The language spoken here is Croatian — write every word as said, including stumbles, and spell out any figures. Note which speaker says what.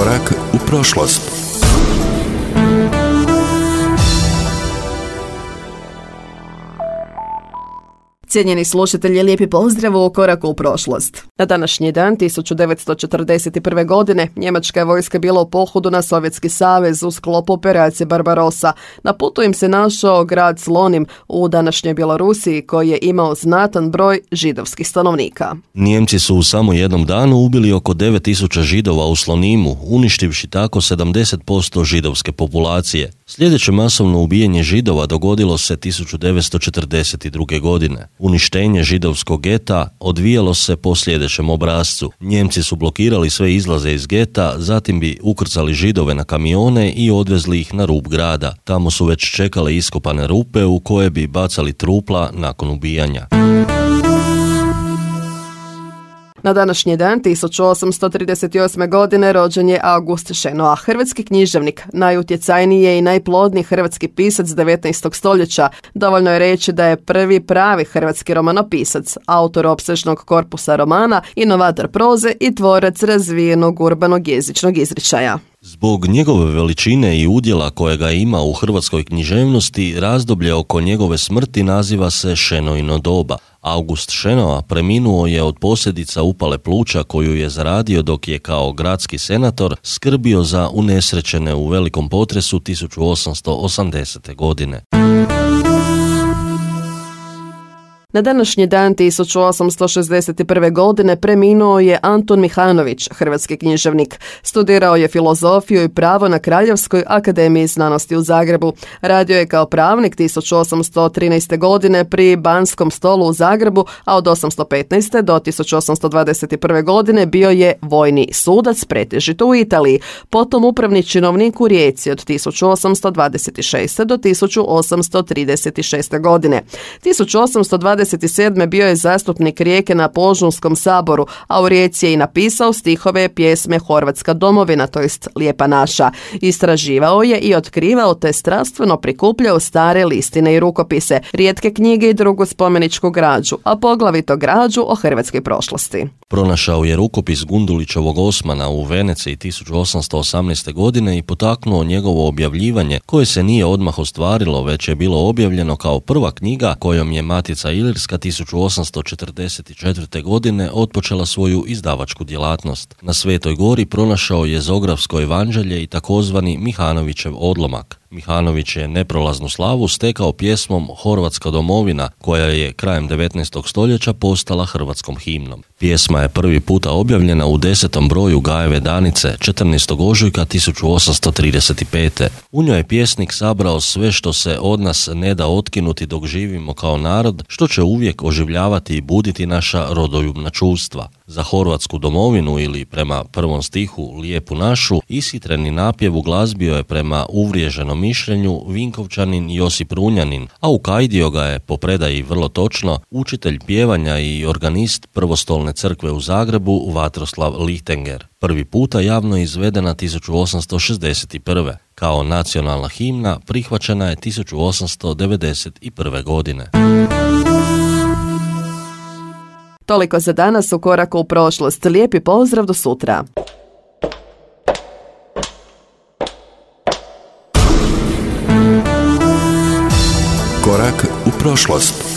Speaker 1: Korak u prošlost.
Speaker 2: Cijenjeni slušatelji, lijepi pozdrav u Koraku u prošlost. Na današnji dan tisuću devetsto četrdeset prve. godine njemačka je vojska bila u pohodu na Sovjetski savez u sklopu operacije Barbarossa. Na putu im se našao grad Slonim u današnjoj Bjelorusiji koji je imao znatan broj židovskih stanovnika.
Speaker 3: Nijemci su u samo jednom danu ubili oko devet tisuća Židova u Slonimu, uništivši tako sedamdeset posto židovske populacije. Sljedeće masovno ubijanje Židova dogodilo se tisuću devetsto četrdeset druge. godine. Uništenje židovskog geta odvijalo se po sljedećem obrascu. Njemci su blokirali sve izlaze iz geta, zatim bi ukrcali Židove na kamione i odvezli ih na rub grada. Tamo su već čekale iskopane rupe u koje bi bacali trupla nakon ubijanja.
Speaker 2: Na današnji dan tisuću osamsto trideset osme. godine rođen je August Šenoa, hrvatski književnik, najutjecajniji i najplodniji hrvatski pisac devetnaestog stoljeća. Dovoljno je reći da je prvi pravi hrvatski romanopisac, autor opsežnog korpusa romana, inovator proze i tvorac razvijenog urbanog jezičnog izričaja.
Speaker 3: Zbog njegove veličine i udjela kojega ima u hrvatskoj književnosti, razdoblje oko njegove smrti naziva se Šenoino doba. August Šenoa preminuo je od posljedica upale pluća koju je zaradio dok je kao gradski senator skrbio za unesrećene u velikom potresu tisuću osamsto osamdesete. godine.
Speaker 2: Na današnji dan tisuću osamsto šezdeset prve. godine preminuo je Antun Mihanović, hrvatski književnik. Studirao je filozofiju i pravo na Kraljevskoj akademiji znanosti u Zagrebu. Radio je kao pravnik tisuću osamsto trinaeste. godine pri Banskom stolu u Zagrebu, a od osamsto petnaeste. do tisuću osamsto dvadeset prve. godine bio je vojni sudac, pretežito u Italiji, potom upravni činovnik u Rijeci od tisuću osamsto dvadeset šeste. do tisuću osamsto trideset šeste. godine. tisuću osamsto dvadeset sedme. bio je zastupnik Rijeke na Požunskom saboru, a u Rijeci je i napisao stihove pjesme Horvatska domovina, to jest Lijepa naša. Istraživao je i otkrivao te strastveno prikupljao stare listine i rukopise, rijetke knjige i drugu spomeničku građu, a poglavito građu o hrvatskoj prošlosti.
Speaker 3: Pronašao je rukopis Gundulićevog Osmana u Veneciji tisuću osamsto osamnaeste. godine i potaknuo njegovo objavljivanje, koje se nije odmah ostvarilo, već je bilo objavljeno kao prva knjiga kojom je Matica Ilirska tisuću osamsto četrdeset četvrte. godine otpočela svoju izdavačku djelatnost. Na Svetoj Gori pronašao je Zografsko evanđelje i takozvani Mihanovićev odlomak. Mihanović je neprolaznu slavu stekao pjesmom Horvatska domovina, koja je krajem devetnaestog. stoljeća postala hrvatskom himnom. Pjesma je prvi puta objavljena u desetom broju Gajeve Danice četrnaestog ožujka tisuću osamsto trideset pete. U njoj je pjesnik sabrao sve što se od nas ne da otkinuti dok živimo kao narod, što će uvijek oživljavati i buditi naša rodoljubna čustva. Za Horvatsku domovinu ili prema prvom stihu Lijepu našu ishitreni napjev uglazbio je prema uvriježenom mišljenju Vinkovčanin Josip Runjanin, a ukajdio ga je, po predaji vrlo točno, učitelj pjevanja i organist Prvostolne crkve u Zagrebu Vatroslav Lichtenegger. Prvi puta javno izvedena tisuću osamsto šezdeset prve. Kao nacionalna himna prihvaćena je tisuću osamsto devedeset prve. godine.
Speaker 2: Toliko za danas u Koraku u prošlost. Lijepi pozdrav, do sutra.
Speaker 1: Korak u prošlost.